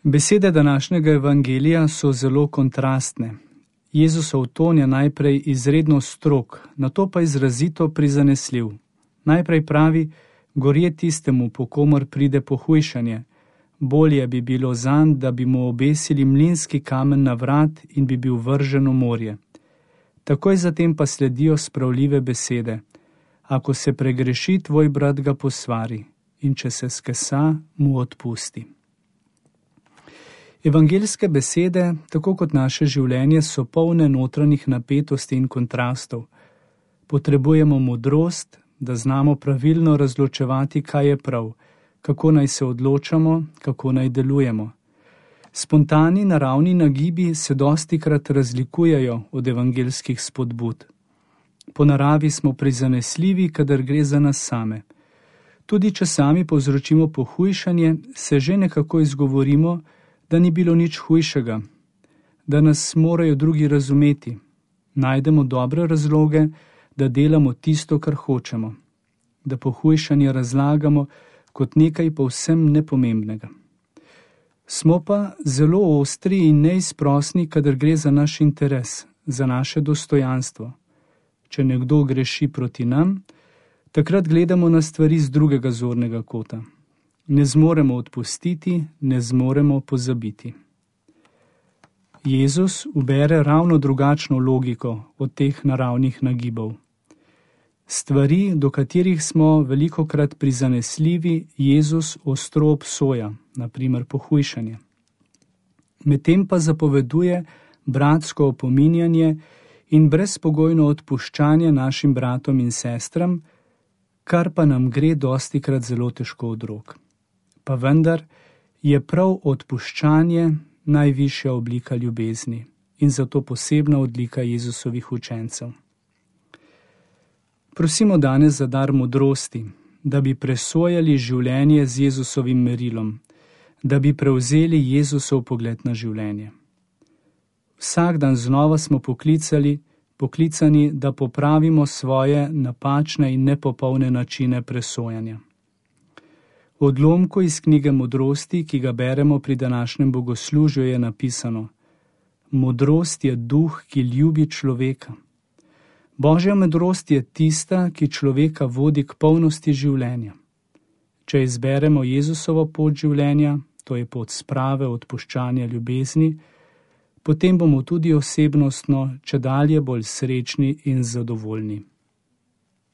Besede današnjega evangelija so zelo kontrastne. Jezusov ton je najprej izredno strog, nato pa izrazito prizanesljiv. Najprej pravi, gorje tistemu, po komor pride pohujšanje. Bolje bi bilo zanj, da bi mu obesili mlinski kamen na vrat in bi bil vržen v morje. Takoj zatem pa sledijo spravljive besede. Ako se pregreši, tvoj brat ga posvari, in če se skesa, mu odpusti. Evangeljske besede, tako kot naše življenje, so polne notranjih napetosti in kontrastov. Potrebujemo modrost, da znamo pravilno razločevati, kaj je prav, kako naj se odločamo, kako naj delujemo. Spontani naravni nagibi se dostikrat razlikujejo od evangeljskih spodbud. Po naravi smo prizanesljivi, kadar gre za nas same. Tudi če sami povzročimo pohujšanje, se že nekako izgovorimo, da ni bilo nič hujšega, da nas morajo drugi razumeti. Najdemo dobre razloge, da delamo tisto, kar hočemo, da pohujšanje razlagamo kot nekaj povsem nepomembnega. Smo pa zelo ostri in neizprosni, kadar gre za naš interes, za naše dostojanstvo. Če nekdo greši proti nam, takrat gledamo na stvari z drugega zornega kota. Ne zmoremo odpustiti, ne zmoremo pozabiti. Jezus ubere ravno drugačno logiko od teh naravnih nagibov. Stvari, do katerih smo velikokrat prizanesljivi, Jezus ostro obsoja, na primer pohujšanje. Medtem pa zapoveduje bratsko opominjanje in brezpogojno odpuščanje našim bratom in sestram, kar pa nam gre dostikrat zelo težko od rok. Pa vendar je prav odpuščanje najvišja oblika ljubezni in zato posebna odlika Jezusovih učencev. Prosimo danes za dar modrosti, da bi presojali življenje z Jezusovim merilom, da bi prevzeli Jezusov pogled na življenje. Vsak dan znova smo poklicani, da popravimo svoje napačne in nepopolne načine presojanja. V odlomku iz knjige Modrosti, ki ga beremo pri današnjem bogoslužju, je napisano: Modrost je duh, ki ljubi človeka. Božja modrost je tista, ki človeka vodi k polnosti življenja. Če izberemo Jezusovo pot življenja, to je pot sprave, odpuščanja, ljubezni, potem bomo tudi osebnostno čedalje bolj srečni in zadovoljni.